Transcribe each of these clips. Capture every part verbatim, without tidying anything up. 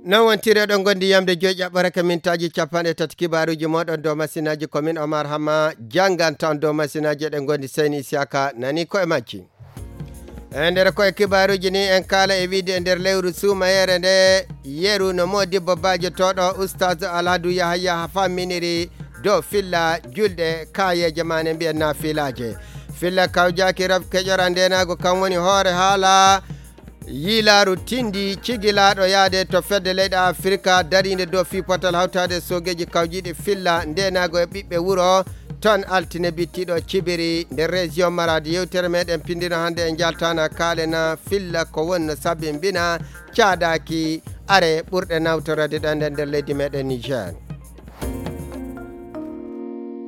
Non wontiri eɗon ngondi yamde joyi ƴaɓɓore ka mintaaji capanɗe tati kibaaruuji mooɗon dow masinaaji. Ko min Omar Hama jannganta on dow masinaaji. Eɗen ngondi Seyni Isiyaka nani ko e majji. E nder koye kibaaruuji ni en kaala e wiide e nder lewru suumayeere nde yeru no Modibbo Bajo tooɗo Ustaz Alhadu Yahaya famminiri dow filla julɗe kaayeeje maane mbiyen naafilaaje. Filla kawjaaki raf keƴora ndenaago kan woni hoore haala yiilaaru tindi cigilaaɗo yaade to fedde leyɗe Afirka dariinde dow fii potal hawtaade soogeeji kawjiiɗi filla ndenaago e ɓiɓɓe wuro ton altine bittiiɗo cibiri nder région Maradi. Yewtere meɗen pindino hannde e njaltana kaalena filla ko wonno sabimbina caadaaki are ɓurɗe nawtorade ɗan nder leydi meɗen Niger.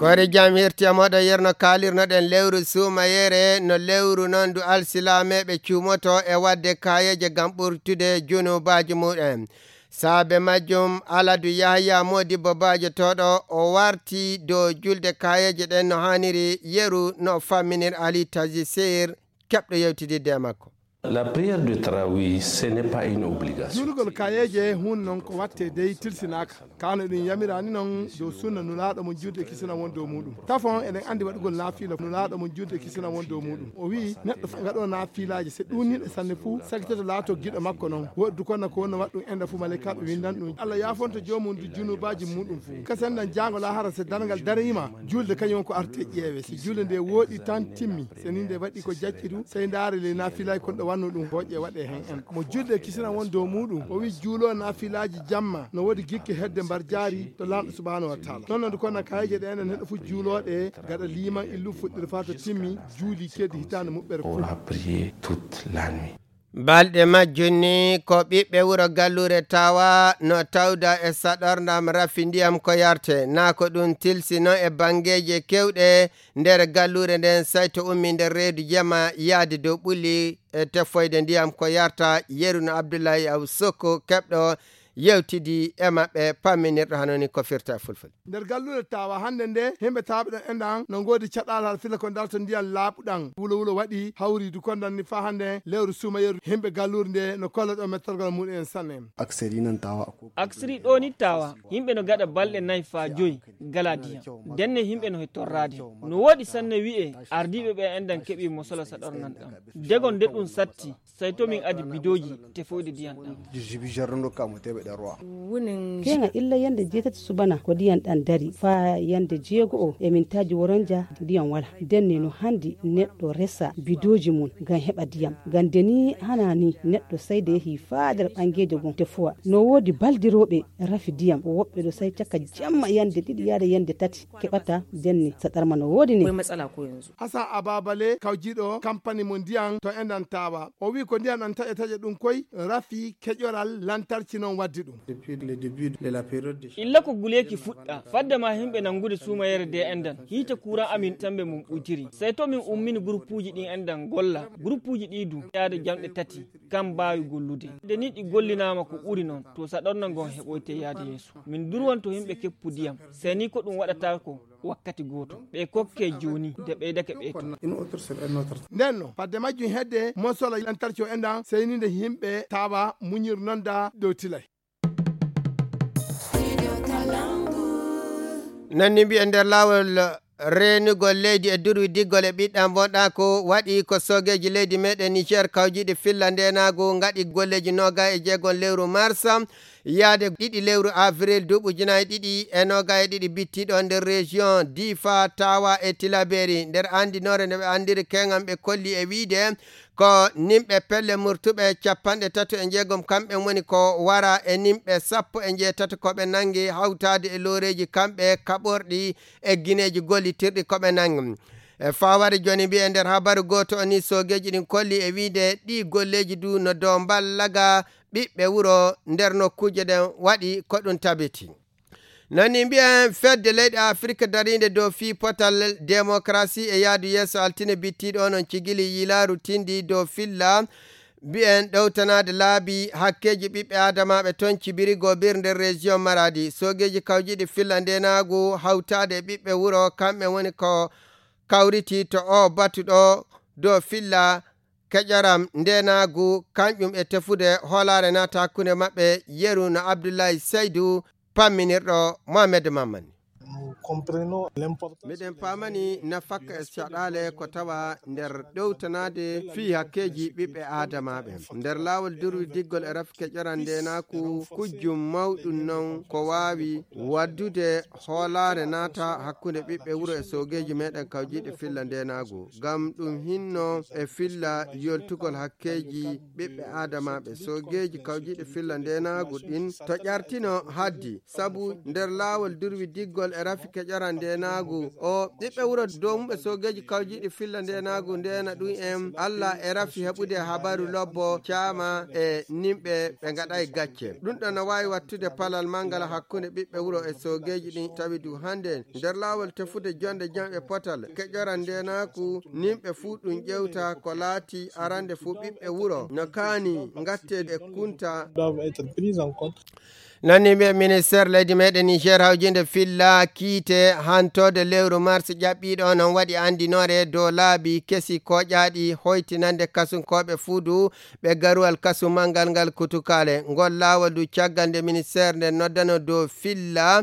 Koore jam hirti e moɗo yerno kaalirnoɗen lewru suumayeere, no lewru noon ndu alsilameeɓe cuumoto e waɗde kaayeeje ngam ɓurtude junubaaji mumen. Saabe majjum, Aladu Yahaya Modibbo Bajo tooɗo o warti dow julde kaayeeje ɗen no haaniri yeru no famminir Ali Tazi Sir keɓɗo yewtidirde e makko. La prière de Tarawih, ce n'est pas une obligation. Juulugol kayeeje hun noon ko watte dey tilsinaaka. Kano ɗum yamirani noon dow sunna nulaaɗo mo juulde kisina won dow muɗum. Tafon eɗen anndi waɗugol naafila nulaaɗo mo juulde kisina won dow muɗum. O wi'i neɗɗo fof gaɗo naafilaaji so ɗuuniiɗo sanne fuu sagitoto laato giɗo makko noon. Woɗdu kono ko wonno waɗɗum enda fuu malaykaaɓe windan ɗum. Allah yaafonto joomum du junubaaji muɗum fuu. Kasen nan jaango lahara so darngal dariima juulde kañum ko arte ƴeewe. So juulde nde wooɗi tan timmi. So ni nde waɗi ko jacci du, sey ndaare ley naafilaaji kon ɗo wanno ɗum hooƴe waɗe hen en. Mo julde kisina won dow muɗum, o wi juulo naafilaaji jamma, no woodi gikke hedde mbar jaari to Laamɗo subhanahu wa taala. Ɗon noon ko na kayeje ɗe enen neɗɗo fu juuloɗe, gaɗa liiman illu fuɗɗiri faa to timmi, juuli kedi hitaande muɓɓere Pour fof. La prière toute la nuit. Balɗe majjum ni ko ɓiɓɓe wuro Galluure Tawa no tawda e saɗorndam rafi ndiyam ko yarte, naa ko ɗum tilsi noon e banngeeje keewɗe nder galluure nden, sayto ummi nder reedu jama yaade dow ɓulli e tefoyde ndiyam ko yarta. Yeru no Abdullahi Aw Sokko keɓɗo yewtidi e maɓɓe pamminirɗo hano ni ko firta e fulfulde. Nder galluure Tawa hannde nde, himɓe tawɓe ɗon enɗan no ngoodi caɗaal har fila ko darto ndiyam laaɓuɗam. Wulo wulo waɗi hawridu kondan ni faa hannde lewru suuma yeru himɓe galluure nde no kolla ɗo mettorgal muɗum en sanne. Akseri nan Tawa ko Akseri ɗo ni Tawa, yimɓe no gaɗa balɗe nayi faa joyi gala diyam. Denne yimɓe no he torraade. No woodi sanne wi'e ardiiɓe ɓe enɗan keɓi mosola saɗornan ɗam. Degon nde ɗum satti, sey to min adi bidooji tefoyde diyam ɗam. Jibi jarrundo kamo teɓe ɗe roa. Keŋa illa yande jeetati subana ko diyam ɗam dari. Faa yande jeego o e mintaaji woronja diyam wala. Denne no handi neɗɗo resa bidooji mum ngam heɓa diyam. Ngam de ni hana ni neɗɗo sayde yehi faa nder ɓangeejo gon tefuwa. No woodi baldirooɓe rafi diyam. Woɓɓe ɗo say caka jamma yande ɗiɗi yaade yande tati keɓata denne. Saɗarma no woodi ni. Asan Ababale kawjiiɗo kampani mo ndiyam to enɗan Tawa. O wi ko ndiyam ɗam taƴa taƴa ɗum koy rafi keƴoral lantarki noon waddi ɗum. Depuis le début de la période de Illa ko guleeki fuɗɗa, fadde ma yimɓe nanngude suumayeere de enɗan, hiite kuuran amin tambe mum ɓuytiri. Sey to min ummini guruppuuji ɗin enɗan golla, guruppuuji ɗi du yaade jamɗe tati, kam mbaawi gollude. Nde ni ɗi gollinaama ko ɓuri noon, to saɗorna ngon heɓoyte yaade yeeso. Min durwanto yimɓe keppu diyam, sey ni ko ɗum waɗata ko wakkati gooto. Ɓe kokke jooni, de ɓeydake ɓe to. Une autre sur un autre. Nden no, fadde majjum hedde, mosola lantarki o enɗan, sey ni nde yimɓe Tawa muñir noon da dow tilay. Nanni mbi'e nder laawol reenugol leydi e durwi diggol e ɓiɗɗam bonɗa ko waɗi ko soogeeji leydi meɗen Niger kawjiiɗi filla ndenaagu ngaɗi golleeji noga e jeegom lewru mars yaade ɗiɗi lewru avril duuɓi ujunaaji ɗiɗi e noga e ɗiɗi bittiɗo nder région Difa, Tawa e Tilaberi. Nder anndinoore nde ɓe anndiri keŋam ɓe kolli e wiide ko nimɓe pelle murtuɓe capanɗe tato e jeegom kamɓe woni ko wara e nimɓe sappo e jeetato ko ɓe nanngi hawtaade e looreeji kamɓe kaɓorɗi e gineeji gollitirɗi ko ɓe nanngi. E fawade jooni mbiye nder habaru gooto o ni soogeeji ɗin kolli e wiide ɗi golleeji du no dow mballaga ɓiɓɓe wuro nder nokkuuje ɗen waɗi ko ɗum tabiti. Nani mbiyen fedde leyɗe Afirka dariinde dow fii potal demokarasi e yaadu yeeso altine bittiiɗo onon cigili yilaaru tindi dow filla mbiyen ɗowtanaade laabi hakkeeji ɓiɓɓe aadamaaɓe toon cibiri gobir nder région Maradi. Soogeeji kawjiiɗi filla ndenaagu hawtaade e ɓiɓɓe wuro kamɓe woni ko kawriti to o batu ɗo dow filla keƴoram ndeenaagu, kanƴum e tefude hoolaare naata hakkunde maɓɓe. Yeru no Abdullahi Seydu, pamminirɗo Mohamed Mamman. Miɗen paamani nafakka e caɗaale ko tawa nder ɗowtanaade fii hakkeeji ɓiɓɓe aadamaaɓe. Nder laawol durwi diggol e rafi keƴoran ndeenaaku, kujjum mawɗum non ko waawi waddude hoolaare naata hakkunde ɓiɓɓe wuro e soogeeji meɗen kawjiiɗe filla ndeenaagu. Ngam ɗum hinno e filla yoltugol hakkeeji ɓiɓɓe aadamaaɓe. Soogeeji kawjiiɗe filla ndeenaagu ɗin to ƴartino haddi. Sabu nder laawol durwi diggol e rafi keƴoran ndeenaagu, o ɓiɓɓe wuro dow mumɓe soogeeji kawjiiɗi filla ndeenaagu ndeena ɗum en Alla e rafi heɓude habaru lobbo caama e nimɓe ɓe ngaɗay gacce. Ɗum ɗon no waawi wattude palal manngal hakkunde ɓiɓɓe wuro e soogeeji ɗin tawi du hannde nder laawol tefude jonde jam e potal keƴoran ndeenaaku nimɓe fuu ɗum ƴewta ko laati arande fuu ɓiɓɓe wuro no kaani ngatte e kunta. Doivent être prises en compte. Nani ɓe ministère leydi meɗen Niger hawjinde filla kiite hantode lewru mars ƴaɓɓiɗo non waɗi andinore dow laabi kesi koƴaɗi hoytinande kasunkooɓe fuudu ɓe garuwal kasu mangal ngal kutukale. Ngol laawol du caggal nde ministère nde noddano dow filla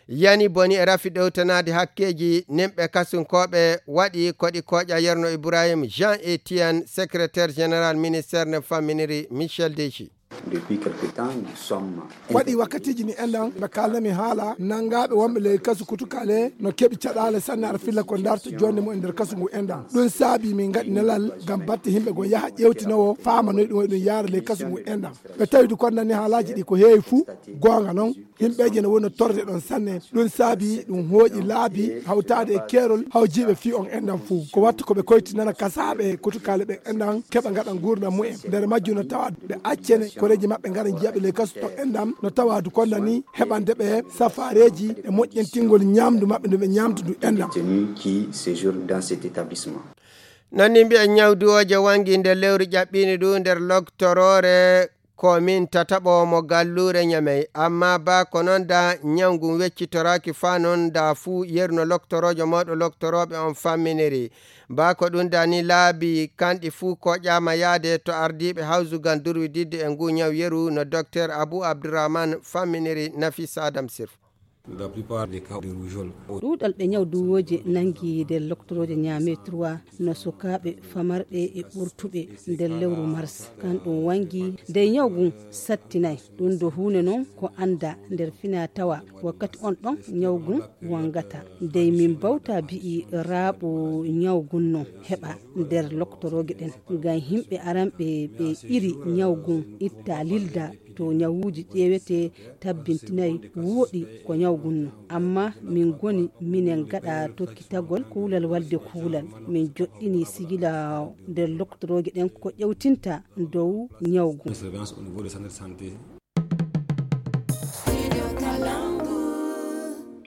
yani boni e rafi ɗowtanaade hakkeeji nimɓe kasunkooɓe waɗi koɗi koƴa yerno Ibrahim Jean Etienne, secrétaire général ministère nde famminiri Michel Deji. Depuis quelque temps, nous sommes waɗi wakkatiiji ni enɗan ɓe kaalnami haala nanngaaɓe wonɓe ley kasu kutukale no keɓi caɗaale sanne ara filla ko darta jonde mum e nder kasu ngu enɗan. Ɗum saabi min ngaɗi nelal ngam batte yimɓe goo yaha ƴeewtinowo faama noy ɗum waɗi ɗum yaara ley kasu ngu enɗan. Ɓe tawi du konnani haalaaji ɗi ko heewi fuu goonga non. Yimɓeeje no woni no torde ɗon sanne. Ɗum saabi ɗum hooƴi laabi hawtaade e keerol hawjiiɓe fii on enɗan fuu. Ko watta ko ɓe koytinana kasaaɓe kutukale ɓen enɗan keɓa ngaɗa nguurndam mumen. Nder majjum no tawa ɓe accene koreeji maɓɓe ngara njiyaɓe ley kasu ton enɗan no tawa du konnani heɓande ɓe safaareeji e moƴƴintingol ñaamdu maɓɓe ndu ɓe ñaamdu ndu enɗan. Détenus qui séjournent dans cet établissement. Nani mbiya ñawduwooje wangi nder lewru ƴaɓɓiindi ɗum nder loktoroore komin tataɓo mo galluure ñamey. Amma ba ko noon da ñaw ngun weccitoraaki faa noon da fuu yerno loktoroojo mawɗo loktorooɓe on famminiri. Ba ko ɗum da ni laabi kanɗi fuu koƴaama yaade to ardiiɓe hawsugal durwididde e ngu ñaw yeru no Dokteer Abu Abdurrahman famminiri Nafisa Adam Sirf. La plupart des cas de rougeole. Ɗuuɗal ɓe ñaw duwooje nangi nder loktorooje ñaame trois no sukaaɓe famarɓe e ɓurtuɓe nder lewru mars. Kan ɗum wangi nde ñaw ngun sattinay. Ɗum do huune noon ko annda nder fina tawa wakkati on ɗon ñaw ngun wangata. Ndey min bawta bi'i raaɓo ñaw ngun no heɓa nder loktorooge ɗen. Ngam yimɓe aranɓe ɓe iri ñaw ngun itta lilda to ñawuuji ƴeewete tabbintinay wooɗi ko ñaw ngun no. Amma min ngoni minen gaɗa tokkitagol kuulal walde kuulal. Min joɗɗini sigila nder loktorooje ɗen ko ƴewtinta dow ñaw ngun. Surveillance au niveau des centres de santé.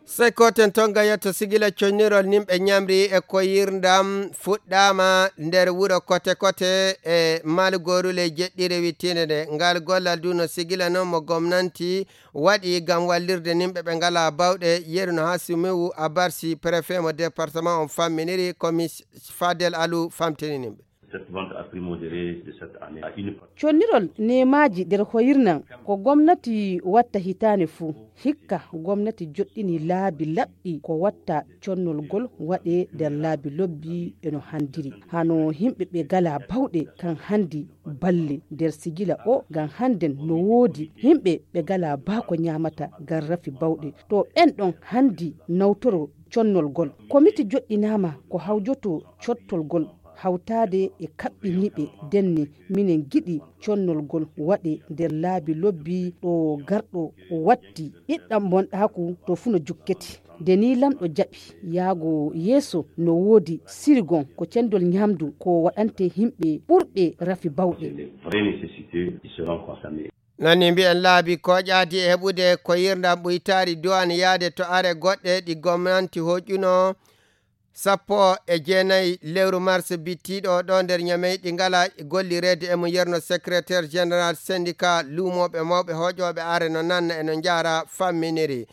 Sey koten tonga yetto sigila connirol nimɓe ñamri e koyirndam fuɗɗaama nder wuro kote kote e malgorule jeɗɗire wittiinde nde. Ngal gollal du no sigila noon mo gomnanti waɗi ngam wallirde nimɓe ɓe ngalaa bawɗe. Yeru no Hasimu Abarsi, préfet mo département on famminiri, komis Fadel Alu famtini nimɓe. Cette vente a primogéré de cette année à une partie. Connirol neemaaji nder hoyirnan ko gomnati watta hitaane fuu. Hikka gomnati joɗɗini laabi laɓɗi ko watta connol ngol waɗe nder laabi lobbi e no handiri. Hano yimɓe ɓe ngalaa bawɗe kan handi balle nder sigila o ngam hannden no woodi yimɓe ɓe ngalaa baa ko ñaamata ngam rafi bawɗe. To ɓen ɗon handi nawtoro connol ngol. Komiti joɗɗinaama ko hawjoto cottol ngol hawtaade e kaɓɓiniiɓe denne minen ngiɗi connol ngol waɗe nder laabi lobbi ɗo garɗo watti ɓiɗɗam bonɗaaku to fuu no jukketi. Nde nii lamɗo jaɓi yaago yeeso no woodi sirigon ko cendol ñaamdu ko waɗante yimɓe ɓurɓe rafi bawɗe. Les vraies nécessités qui seront concernées. Nani mbiyen laabi kooƴaadi e heɓude ko yirndan ɓuytaari duwaan yaade to are goɗɗe ɗi gomnanti hoƴƴuno sappo e jeenayi lewru mars bittiiɗo ɗo nder Ñamey ɗi ngala gollireede e mum yerno secrétaire général syndicat luumooɓe mawɓe hoƴooɓe are no nanna e no njaara famminiri.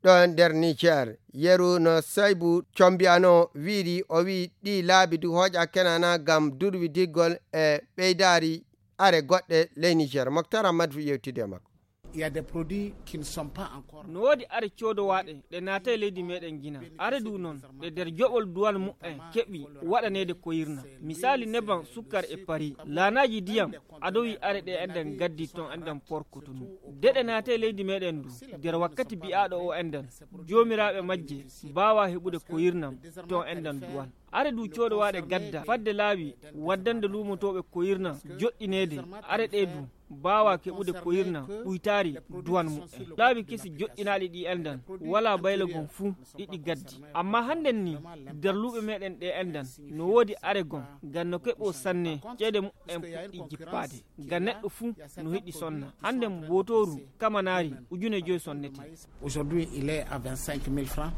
ɗo nder Niger. Yeru no Saybu Combiano wiiri, o wi'i ɗi laabi du hooƴa kenana ngam durwidiggol e ɓeydaari are goɗɗe ley Niger. Moktar Ahmad fu yewtidi e makko. Il y a des produits qui ne sont pas encore. No woodi are coodowaaɗe ɗe naatay leydi meɗen Gina. Are du noon ɗe nder joɓol duwan mu'en keɓi waɗaneede koyirna. Misali neban sukkar e pari. Laanaaji diyam adowi are ɗe enden gaddi ton enden Port Cotonou. De ɗe naatay leydi meɗen du nder wakkati bi'aaɗo o enden. Joomiraaɓe majje mbaawa heɓude koyirnam ton enden duwan. Are du coodowaaɗe gadda fadde laawi waddande luumotooɓe koyirnam joɗɗineede. Are ɗe du mbaawa keɓude koyirnam ɓuytaari duwan mu'en. Laawi kesi joɗɗinaaɗi ɗi enden walaa bayla gon fuu ɗiɗi gaddi. Amma hannden ni nder luuɓe meɗen ɗe enden no woodi are gon ngam no keɓo sanne ceede mu'en puɗɗi jippaade. Ngam neɗɗo fuu no hiɗi sonna. Hannden bootooru kamanaari ujune joy sonnete. Aujourd'hui, il est à vingt-cinq mille francs.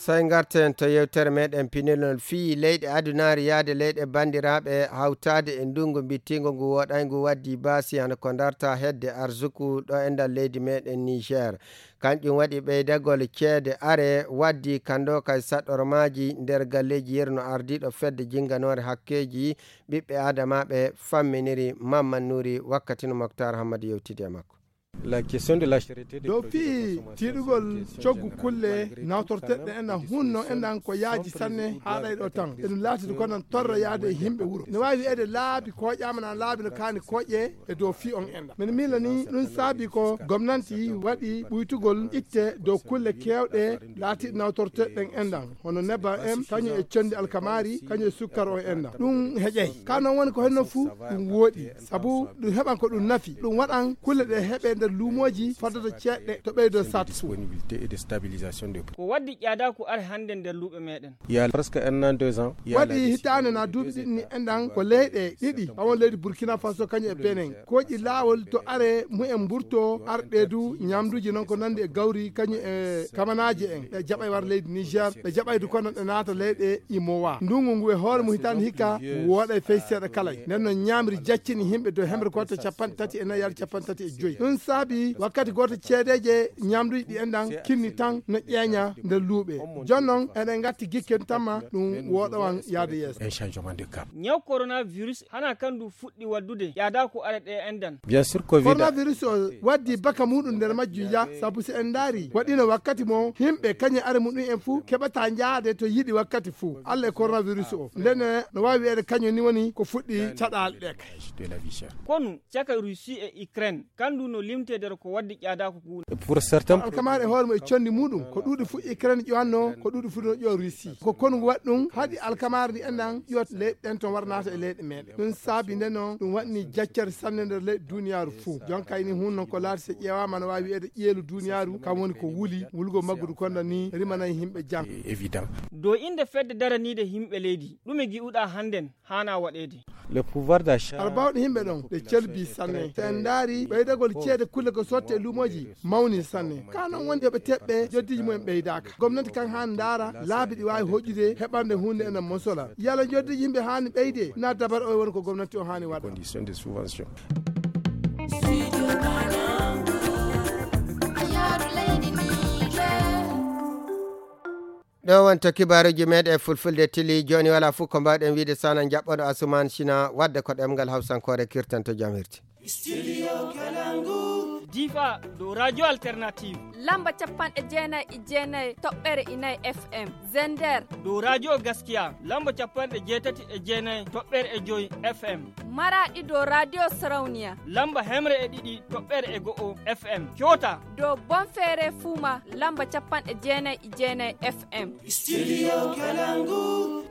Sey ngarten to yewtere meɗen pinilol fii leyɗe adunaari yaade leyɗe banndiraaɓe hawtaade e ndunngu mbittiingo ngu woɗayngu waddi baasi hano ko darta hedde arsuku ɗo e nder leydi meɗen Niger. Kanƴum waɗi ɓeydagol ceede are waddi kando kay saɗɗormaaji nder galleeji yerno ardiiɗo fedde jinnganoore hakkeeji ɓiɓɓe aadamaaɓe famminiri Mamman Nuri wakkati no Moktar Hammadi yewtidi e makko. La question de la cherté des dow produits de fii consommation tiiɗugol essentielle coggu générale, kulle malgré tout nawtorteɗe ça, en a hunno en an ko yaaji sanne haa ɗay ɗo tan eɗum laatide ko nan torra yaade e yimɓe wuro ne waawi wiyeede laabi kooƴaama na laabi no kaani kooƴe e dow fii on en. Min miila ni ɗum saabi ko gomnanti waɗi ɓuytugol itte dow kulle keewɗe laatiiɗe nawtorteɗen enɗan hono nebbam en kañum e conndi alkamaari kañum e sukkar on enɗan ɗum heƴay ka noon woni ko henno fuu ɗum wooɗi sabu ɗum heɓan ko ɗum nafi ɗum waɗan kulle ɗe heɓe nder luumooji faddata ceeɗɗe to ɓeydo sat fuu. Disponibilité et de stabilisation des prix. Ko waddi ƴaadaaku are hannde nder luuɓe meɗen. Il y a presque un an, deux ans, il y a la waɗi décision hitaande na duuɓi ɗiɗi ni enɗan ko leyɗe ɗiɗi awon leydi Burkina Faso kañum e Benin kooƴi laawol to are mumen mburto arɗe du ñamduuji noon ko nanndi e gawri kañum e kamanaaji en ɓe jaɓay war leydi Niger ɓe jaɓay du kono ɓe naata leyɗe imowa ndunngu ngu e hoore mum hitaande hikka wooɗa e fey seeɗa kala nden noon ñaamri jaccini yimɓe dow hemre gooto capanɗe tati e nayi yaade capanɗe tati e joyi ɗum saabi wakkati gooto ceedeeje ñamduuji ɗi enɗan kinni tan no ƴeeña nder luuɓe jooni noon eɗen ngatti gikken tamma ɗum wooɗowan yaade yeeso. Un changement de cap. Ñaw coronavirus hana kan du fuɗɗi waddude ƴaada ko are ɗe enɗan. Bien sûr covid coronavirus o waddi baka muɗum nder majjum ya sabu si en ndaari waɗino wakkati mo yimɓe kañum are muɗum en fuu keɓata njaade to yiɗi wakkati fuu allah e coronavirus o ndene no waawi wiyeede kañum ni woni ko fuɗɗi caɗaale ɗe kay. De la vie chère. Konu caka Russie e Ukraine kandu no limte nder ko waddi ƴaada ko guuna. Pour certains alkamaari e hoore mum e conndi muɗum ko ɗuuɗi fuu Ukraine ƴowanno ko ɗuuɗi fuu no ƴowa Russie ko konu ngu waɗi ɗum haɗi alkamaari ndi enɗan ƴowa leyɗe ɗen ton wara naata e leyɗe meɗen ɗum saabi nde noon ɗum waɗni jaccere sanne nder leyɗe duniyaaru fuu jonka ini hun noon ko laati so ƴeewaama no waawi wiyeede ƴeelu duniyaaru kam woni ko wuli wulgo maggudu konda ni rimanay yimɓe jam. Évident. Dow innde fedde daraniinde yimɓe leydi ɗume gi'uɗaa hannden haana waɗeede. Le pouvoir d'achat. Aɗa bawɗe yimɓe ɗon ɓe calbi sanne so en ndaari ɓeydagol ceede kulle ko sotte e luumooji mawni sanne ka noon woni yoɓe teɓɓe joddiiji mumen ɓeydaaka gomnati kan haa ndaara laabi ɗi waawi hoƴƴude heɓande huunde enen mosola yala joddiiji yimɓe haani ɓeyde na dabar o woni ko gomnati o haani waɗa. Condition de subvention. Ɗo wonto kibaaruuji meɗen e fulfulde tili jooni wala fof ko mbawɗen wiide sana jaɓɓoɗo asuman sina wadde ko ɗemngal hawsankoore kirtanto jam hirti. Difa dow radio alternative lamba capanɗe jeenayi e jeenayi toɓɓere inayi fm. Zender dow radio gaskiya lamba capanɗe jeetati e jeenayi toɓɓere e joyi fm. Maraɗi dow radio sarauniya lamba hemre e ɗiɗi toɓɓere e go'o fm. Coota dow bonfere fuma lamba capanɗe jeenayi e jeenayi fm. Studio Kalangu.